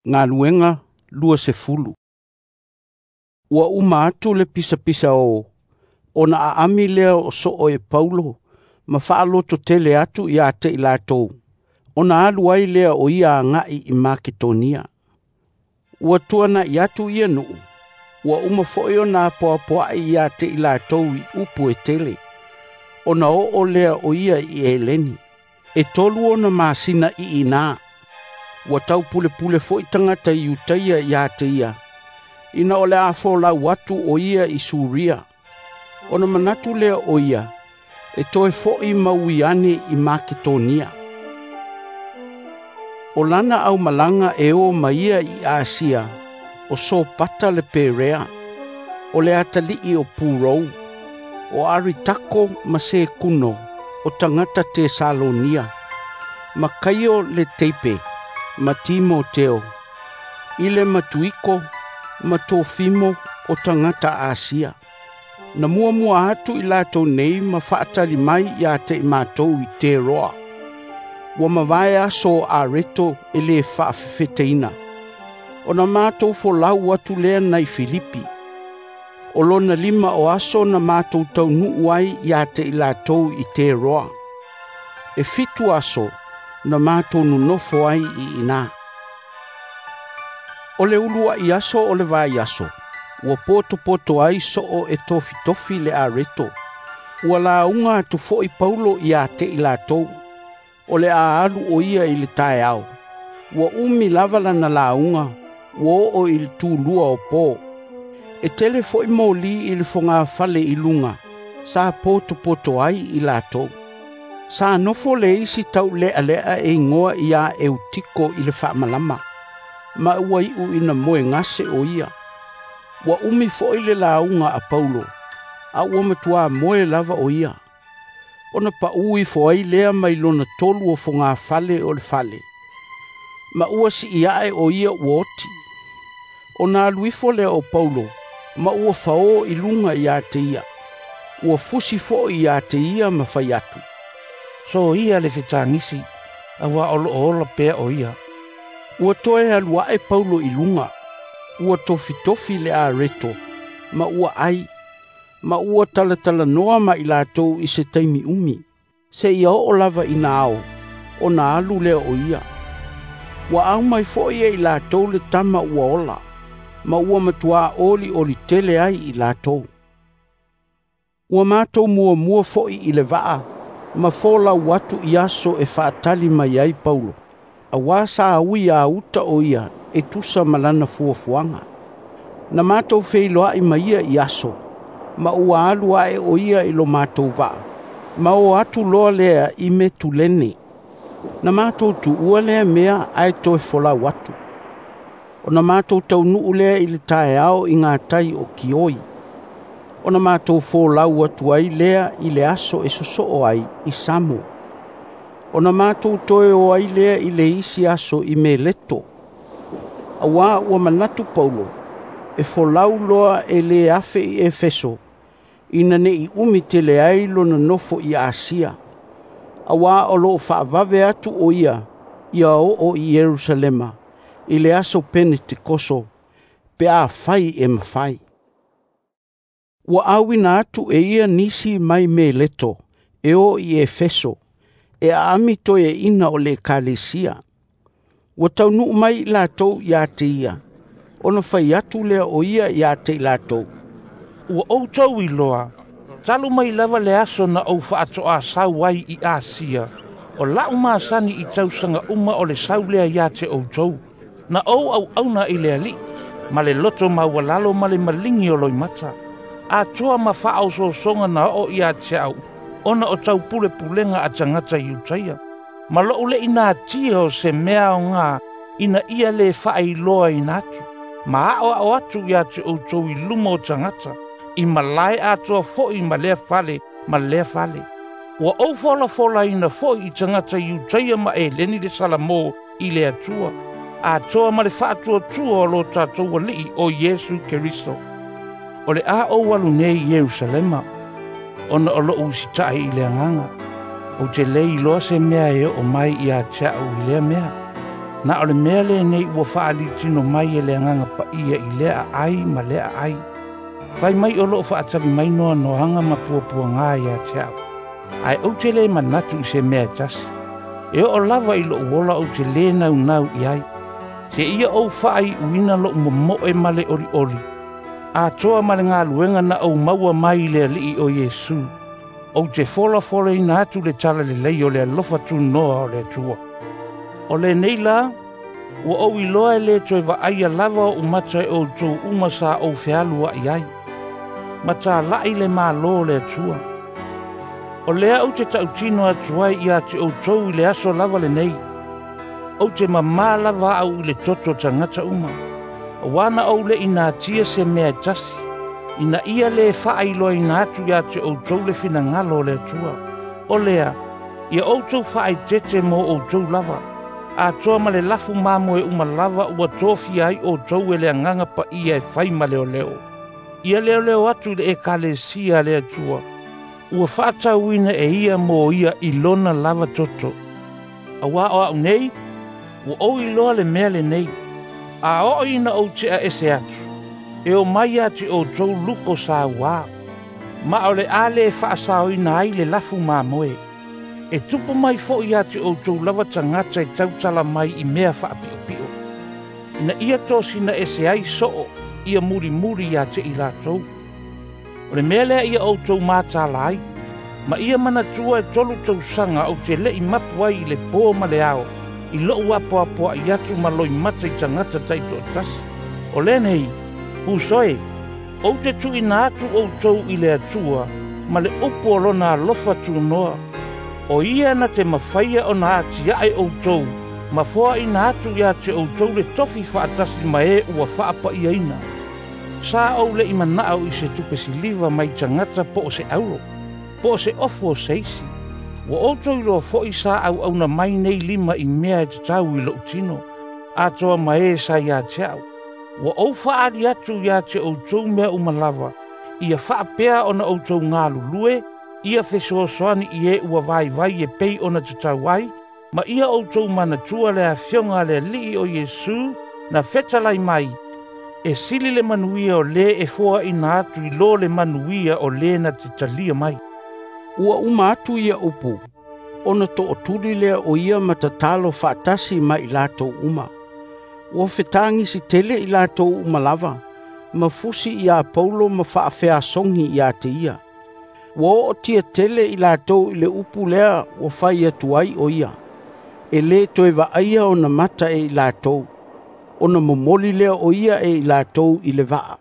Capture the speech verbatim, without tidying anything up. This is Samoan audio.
Galuega Luasefulu. Ua uma atu le pisapisa o, ona aami lea o soo e Paulo ma faalototele atu ia te i latou, ona alu ai lea o ia agai i Maketonia. Ua tuanai atu ia nuu, ua uma foi ona apoapoai ia te i latou i upu e tele, ona oo lea o ia i Eleni. E tolu ona masina i ina, ua taupulepule foi tagata Iutaia ia te ia, ina o le a folau atu o ia i Suria. Ona manatu lea o ia, e toe foi ma ui ane i Maketonia. O lana aumalaga e o ma ia i Asia, o Sopata le Perea, o le atalii o Purou, o Aritako ma Sekuno, o tagata Tesalonia, ma Kaio le Teipe, ma Timoteo, i le Matuiko ma Tofimo o tagata Asia. Na muamua atu i latou nei ma faatali mai ia te i matou i Teroa. Ua mavae aso o Areto e le faafefeteina. Ona matou folau atu lea nai Filipi. O lona lima o aso na matou taunuu ai ia te i latou i Teroa. E fitu aso na matou nonofo ai i ina. O le uluai aso o le vaiaso, ua potopoto ai soo e tofitofi le areto. Ua lauga atu foi Paulo ia te i latou. O le a alu o ia i le taeao. Ua umi lava lana lauga, ua oo i le tulua o po. E tele foi moli i le fogafale i luga, sa potopoto ai i latou. Sa nofo le isi taulealea e igoa ia Eutiko i le faamalama, ma ua iu ina moegase o ia. Ua umi foi le lauga a Paulo, a ua matua moe lava o ia. Ona paū ifo ai lea mai lona tolu o fogafale o le fale, ma ua sii ae o ia ua oti. Ona alu ifo lea o Paulo, ma ua fao i luga ia te ia. Ua fusi foi ia te ia ma fai atu. So ia le fetagisi, auā o loo ola pea o ia. Ua toe alu ae Paulo i luga, ua tofitofi le areto, ma ua ai, ma ua talatalanoa ma i latou i se taimi umi, seia oo lava ina ao, ona alu lea o ia. Ua aumai foi e i latou le tama ua ola, ma ua matuā olioli tele ai i latou. Ua matou muamua foi i le vaa, ma folau atu i aso e faatali mai ai Paulo. Auā sa ui a uta o ia e tusa ma lana fuafuaga. Na matou feiloai ma ia i aso, ma ua alu ae o ia i lo matou vaa, ma o atu loa lea i Metulene. Na matou tuua lea mea ae toe folau atu. Ona matou taunuu lea i le taeao i gatai o Kioi. Ona matou folau atu ai lea i le aso e sosoo ai i Samo. Ona matou toe o ai lea i le isi aso i Meleto. Auā ua manatu Paulo, e folau loa e lē afe i Efeso, ina nei umi tele ai lona nofo i Asia. Auā o loo faavave atu o ia ia oo i Ierusalema, i le aso Penetekoso, pe afai e mafai. Ua auina atu e ia nisi mai Meleto, e o i Efeso, e aami toeaina o le ekalesia. Ua taunuu mai i latou ia te ia, ona fai atu lea o ia ia te i latou. Ua outou iloa, talu mai lava le aso na ou faatoasau ai i Asia, o lau masani i tausaga uma o le sau lea ia te outou. Na ou auauna i le Alii, ma le loto maualalo ma le maligi o loimata. Atoa ma faaosoosoga na oo ia te au, ona o taupulepulega a tagata Iutaia. Ma lou le inatia o se mea aoga ina ia lē faailoaina atu. Ma aoao atu ia te outou i luma o tagata, i malae atoa foi ma lea fale ma lea fale. Ua ou folafolaina foi i tagata Iutaia ma Eleni le Salamo i le Atua, atoa ma le faatuatua o lo tatou Alii o Iesu Keriso. O le a ou alu nei i Ierusalema, ona o lou usitaai i le agaga. Ou te le iloa se mea e oo mai ia te au i lea mea. Na o le mea lenei ua fa'alitino mai e le Agaga Paia i lea aai ma lea aai. Fai mai o lo'o fa'atali mai noanoaga ma puapuagā ia te a'u. Ae ou te lē manatu i se mea e tasi. E oo lava i lo'u ola ou te lē naunau i ai. Seia ou faaiuina lo'u momo'e ma le olioli. Atoa ma le galuega na ou maua mai i le Alii o Iesu. Ou te folafolaina atu le talalelei o le alofa tunoa o le Atua. O lenei la, ua ou iloa e lē toe vaaia lava oʻu mata e outou uma sa ou fealua'i ai, ma tala'i le Mālō o le Atua. O lea ou te ta'utino atu ai ia te outou i le aso lava lenei. Ou te mamā lava a'u i le toto o tagata uma. Auā na ou le'i natia se mea e tasi, ina ia lē faailoaina atu iā te outou le finagalo o le Atua. O lea, ia outou faaeteete mo outou lava, atoa ma le lafu mamoe uma lava ua tofia ai outou e le Agaga Paia e fai ma leoleo. Ia leoleo atu i le Ekalesia a le Atua, ua fa'atauina e ia mo ia i lona lava toto. Auā o a'u nei, ua ou iloa le mea lenei. A oo ina ou te'a ese atu, e o mai ia te outou luko sauā, ma o le a lē fa'asaoina ai le lafu mamoe. E tupu mai fo'i ia te outou lava tagata e tautala mai i mea fa'api'opi'o. Ina ia tosina ese ai so'o ia mulimuli ia te i latou. O le mea lea ia outou matala ai, ma ia manatua e tolu tausaga ou te le'i mapu ai i le pō ma le ao, i lo'u apoapoa'i atu ma loimata i tagata ta'ito'atasi. O lenei, uso e, ou te tu'uina atu outou i le Atua ma le upu o lona alofa tunoa. O ia na te mafaia ona atia'e outou, ma foa'ina atu ia te outou le tofi fa'atasi ma e ua fa'apa'iaina. Sa ou le'i mana'o i se tupe siliva mai tagata po o se auro, po o se ofu o se isi. Ua outou iloa fo'i sa au'auna mai nei lima i mea e tatau i lo'u tino, atoa ma e sa iā te a'u. Ua ou fa'ali atu iā te outou mea uma lava, ia fa'apea ona outou galulue, ia fesoasoani i e ua vaivai e pei ona tatau ai, ma ia outou manatua le afioga a le Alii o Iesu na fetalai mai, e sili le manuia o lē e foa'ina atu i lo le manuia o lē na te talia mai. Ua uma atu ia upu, ona to'otuli lea o ia ma tatalo fa'atasi ma i latou uma. Ua fetagisi tele i latou uma lava, ma fusi iā Paulo ma fa'afeasogi iā te ia. Ua o'otia tele i latou i le upu lea ua fai atu ai o ia. E lē toe va'aia ona mata e i latou, ona momoli lea o ia e i latou i le va'a.